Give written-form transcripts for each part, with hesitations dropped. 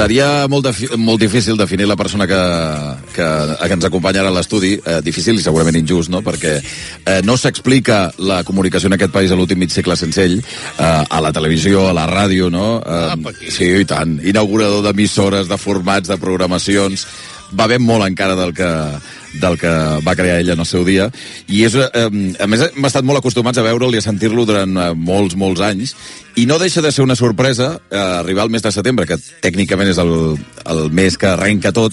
Seria molt difícil definir la persona que ens acompanya ara a l'estudi, difícil i segurament injust, no? Perquè no s'explica la comunicació en aquest país a l'últim mig segle sense ell, a la televisió, a la ràdio, no? Sí, i tant. Inaugurador d'emissores, de formats, de programacions. Va ben molt encara del que va crear ell en el seu dia, i a més hem estat molt acostumats a veure'l i a sentir-lo durant molts anys, i no deixa de ser una sorpresa arribar al mes de setembre, que tècnicament és el mes que arrenca tot,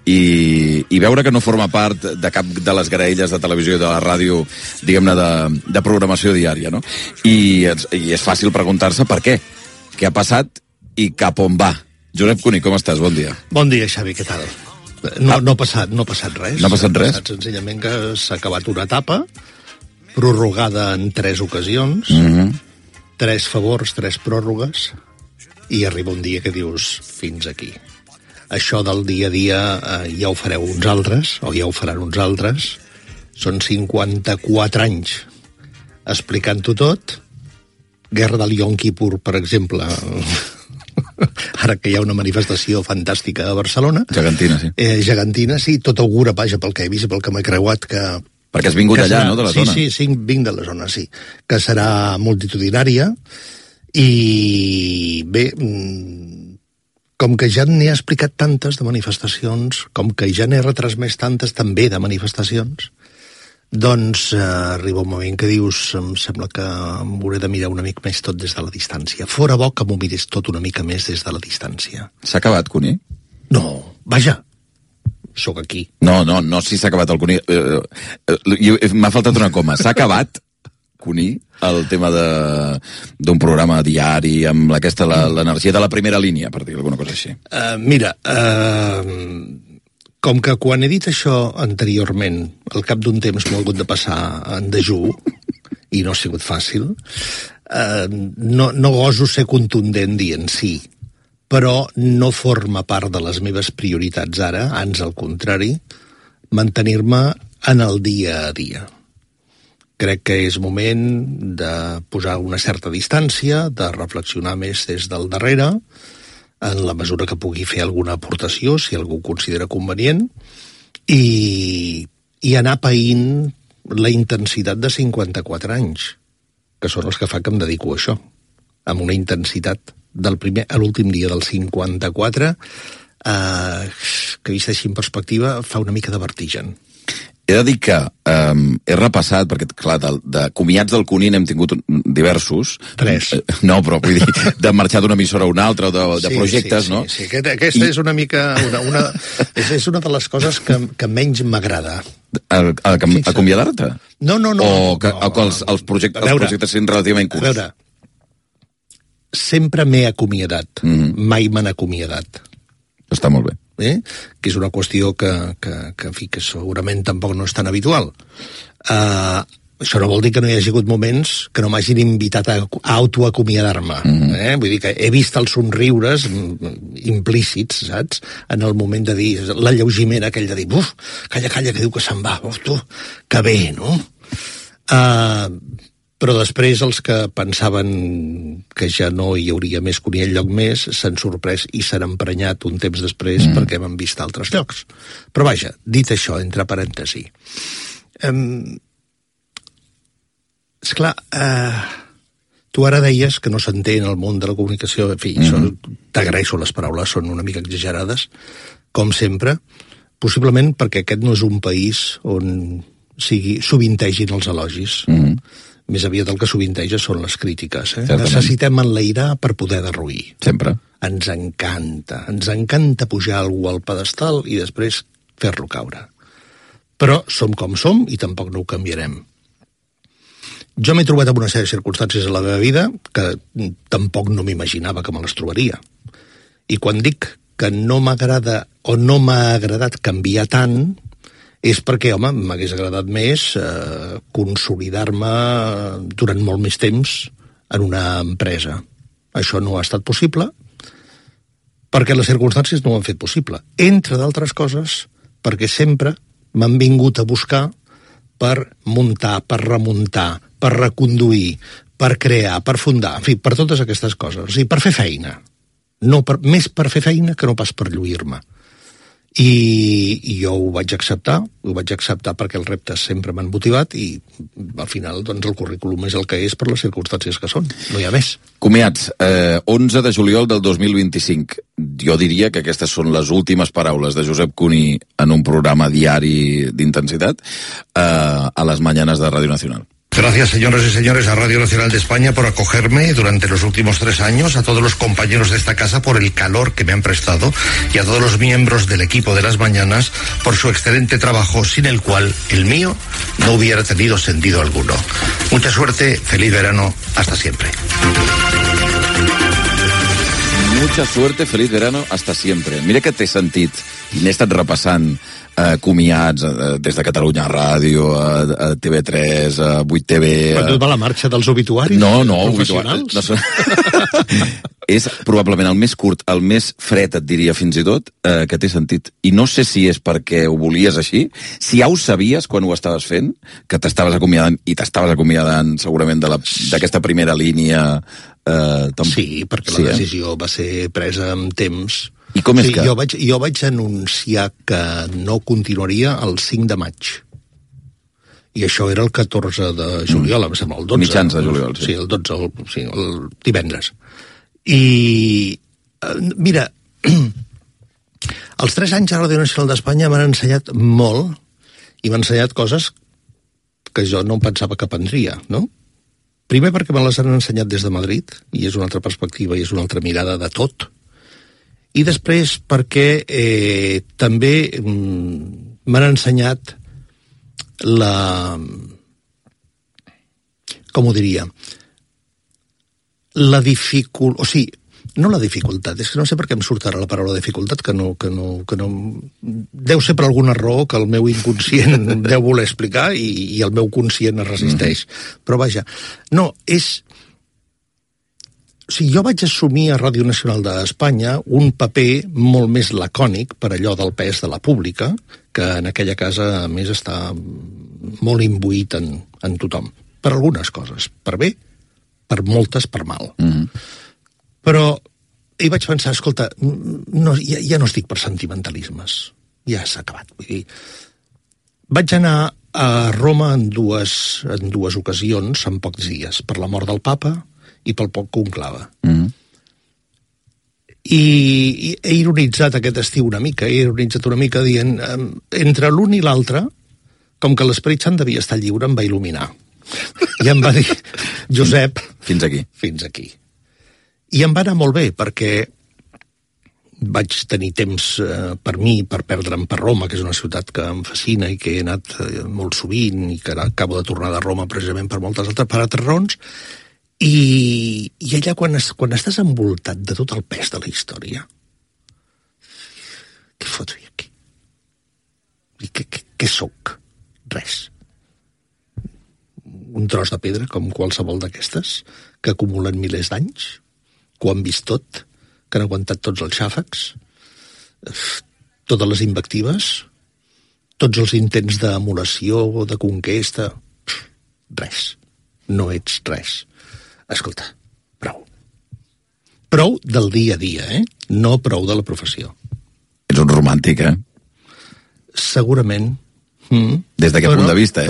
i veure que no forma part de cap de les graelles de televisió i de la ràdio, diguem-ne, de programació diària, no? I és fàcil preguntar-se per què ha passat i cap on va. Josep Cuní, com estàs? Bon dia. Bon dia, Xavi, què tal? No ha passat res. No ha passat res? Ha passat senzillament que s'ha acabat una etapa, prorrogada en 3 ocasions, 3 favors, 3 pròrrogues, i arriba un dia que dius, fins aquí. Això del dia a dia ja ho fareu uns altres, o ja ho faran uns altres. Són 54 anys explicant-ho tot. Guerra del Yom Kippur, per exemple, ara que hi ha una manifestació fantàstica a Barcelona. Gegantina, sí. Gegantina, sí, tot augura, vaja, pel que he vist i pel que m'he creuat, que... Perquè has vingut allà, no?, de la zona. Sí, vinc de la zona, sí. Que serà multitudinària, i bé, com que ja n'he explicat tantes de manifestacions, com que ja n'he retransmès tantes també de manifestacions, doncs arriba un moment que dius, em sembla que m'hauré de mirar una mica més tot des de la distància. Fora bo que m'ho mirés tot una mica més des de la distància. S'ha acabat, Cuní? No, vaja, sóc aquí. No, si s'ha acabat el Cuní. M'ha faltat una coma. S'ha acabat, Cuní, el tema d'un programa diari amb l'energia de la primera línia, per dir alguna cosa així? Mira, com que quan he dit això anteriorment, al cap d'un temps m'ho ha hagut de passar en dejú, i no ha sigut fàcil, no goso ser contundent dient sí, però no forma part de les meves prioritats ara, ans al contrari, mantenir-me en el dia a dia. Crec que és moment de posar una certa distància, de reflexionar més des del darrere, en la mesura que pugui fer alguna aportació, si algú ho considera convenient, i anar païnt la intensitat de 54 anys, que són els que fa que em dedico a això, amb una intensitat del primer a l'últim dia del 54, que vist així en perspectiva fa una mica de vertigen. He de dir que he repassat, perquè, clar, de comiats del Cuní n'hem tingut diversos. 3. No, però vull dir, de marxar d'una emissora a una altra, o de projectes, no? Sí, aquesta és una mica... és una de les coses que menys m'agrada. Acomiadar-te? No. O que els projectes siguin relativament curts? A veure, sempre m'he acomiadat, mai m'han acomiadat. Està molt bé. Que és una qüestió que segurament tampoc no és tan habitual. Això no vol dir que no hi hagi hagut moments que no m'hagin invitat a autoacomiadar-me. Vull dir que he vist els somriures implícits, saps? En el moment de dir, l'alleugiment aquell de dir, uf, calla, que diu que se'n va, uf, tu, que bé, no? Però després els que pensaven que ja no hi hauria més Cuní enlloc més s'han sorprès i s'han emprenyat un temps després perquè m'han vist a altres llocs. Però vaja, dit això, entre parèntesi, esclar, tu ara deies que no s'entén el món de la comunicació, en fi, t'agraeixo les paraules, són una mica exagerades, com sempre, possiblement perquè aquest no és un país on sovintegin els elogis. Més aviat el que sovinteja són les crítiques. Necessitem enlairar per poder derruir. Sempre. Ens encanta pujar algú al pedestal i després fer-lo caure. Però som com som i tampoc no ho canviarem. Jo m'he trobat en una sèrie de circumstàncies a la meva vida que tampoc no m'imaginava que me les trobaria. I quan dic que no m'agrada o no m'ha agradat canviar tant, és perquè, home, m'hagués agradat més consolidar-me durant molt més temps en una empresa. Això no ha estat possible perquè les circumstàncies no ho han fet possible. Entre d'altres coses, perquè sempre m'han vingut a buscar per muntar, per remuntar, per reconduir, per crear, per fundar, en fi, per totes aquestes coses. O sigui, per fer feina. Més per fer feina que no pas per lluir-me. I jo ho vaig acceptar perquè els reptes sempre m'han motivat i al final doncs, el currículum és el que és per les circumstàncies que són, no hi ha més. Comiats, 11 de juliol del 2025. Jo diria que aquestes són les últimes paraules de Josep Cuní en un programa diari d'intensitat a les mañanas de Radio Nacional. Gracias, señoras y señores, a Radio Nacional de España por acogerme durante los últimos 3 años, a todos los compañeros de esta casa por el calor que me han prestado y a todos los miembros del equipo de las mañanas por su excelente trabajo, sin el cual el mío no hubiera tenido sentido alguno. Mucha suerte, feliz verano, hasta siempre. Mucha suerte, feliz verano, hasta siempre. Mira que t'he sentit i n'he estat repassant comiats des de Catalunya Ràdio, a TV3, a 8TV... Però tu va la marxa dels obituaris? No, professionals? És probablement el més curt, el més fred, et diria fins i tot, que t'he sentit. I no sé si és perquè ho volies així, si ja ho sabies quan ho estaves fent, que t'estaves acomiadant, i t'estaves acomiadant segurament d'aquesta primera línia... Sí, perquè la decisió va ser presa amb temps... I com és que... Jo vaig anunciar que no continuaria el 5 de maig. I això era el 14 de juliol, em sembla, el 12. Mitjans de juliol, sí. Sí, el 12, el divendres. I, mira, els 3 anys a Radio Nacional d'Espanya m'han ensenyat molt i m'han ensenyat coses que jo no pensava que aprendria, no? Primer perquè me les han ensenyat des de Madrid, i és una altra perspectiva i és una altra mirada de tot. I després perquè també m'han ensenyat com ho diria, la dificultat, o sigui, no la dificultat, és que no sé per què em surt ara la paraula dificultat, que no, deu ser per alguna raó que el meu inconscient deu voler explicar i el meu conscient es resisteix. Però vaja, no, és... O sigui, jo vaig assumir a Ràdio Nacional d'Espanya un paper molt més lacònic per allò del pes de la pública, que en aquella casa, a més, està molt imbuït en tothom. Per algunes coses, per bé, per moltes, per mal. Però hi vaig pensar, escolta, ja no estic per sentimentalismes, ja s'ha acabat. Vull dir, vaig anar a Roma en dues ocasions, en pocs dies, per la mort del papa i pel poc conclave. I he ironitzat aquest estiu una mica, dient, entre l'un i l'altre, com que l'Esperit Sant devia estar lliure, em va il·luminar. I em va dir, Josep... Fins aquí. Fins aquí. I em va anar molt bé, perquè vaig tenir temps per mi, per perdre'm per Roma, que és una ciutat que em fascina i que he anat molt sovint i que acabo de tornar de Roma precisament per altres raons. I allà, quan estàs envoltat de tot el pes de la història, què foto jo aquí? I què soc? Res. Un tros de pedra, com qualsevol d'aquestes, que acumulen milers d'anys, que ho han vist tot, que han aguantat tots els xàfecs, totes les invectives, tots els intents d'emulació o de conquesta. Res. No ets res. Escolta, prou. Prou del dia a dia, no prou de la professió. Ets un romàntic, Segurament. Des d'aquest punt de vista,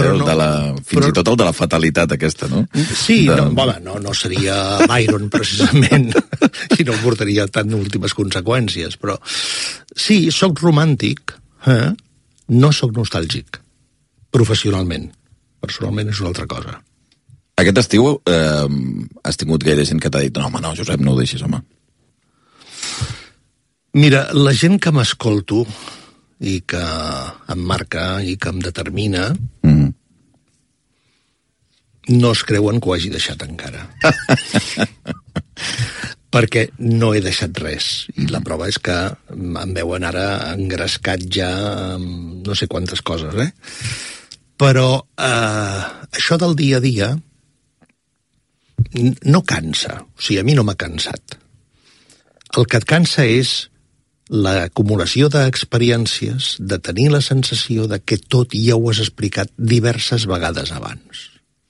fins i tot el de la fatalitat aquesta, no? Sí, no seria Byron, precisament, i no portaria tan últimes conseqüències, però sí, sóc romàntic, no sóc nostàlgic, professionalment. Personalment és una altra cosa. Aquest estiu has tingut gaire gent que t'ha dit no, home, no, Josep, no ho deixis, home. Mira, la gent que m'escolto i que em marca i que em determina no es creuen que ho hagi deixat encara. Perquè no he deixat res. I la prova és que em veuen ara engrescat ja amb no sé quantes coses, Però això del dia a dia no cansa. O sigui, a mi no m'ha cansat. El que et cansa és l'acumulació d'experiències, de tenir la sensació de que tot ja ho has explicat diverses vegades abans.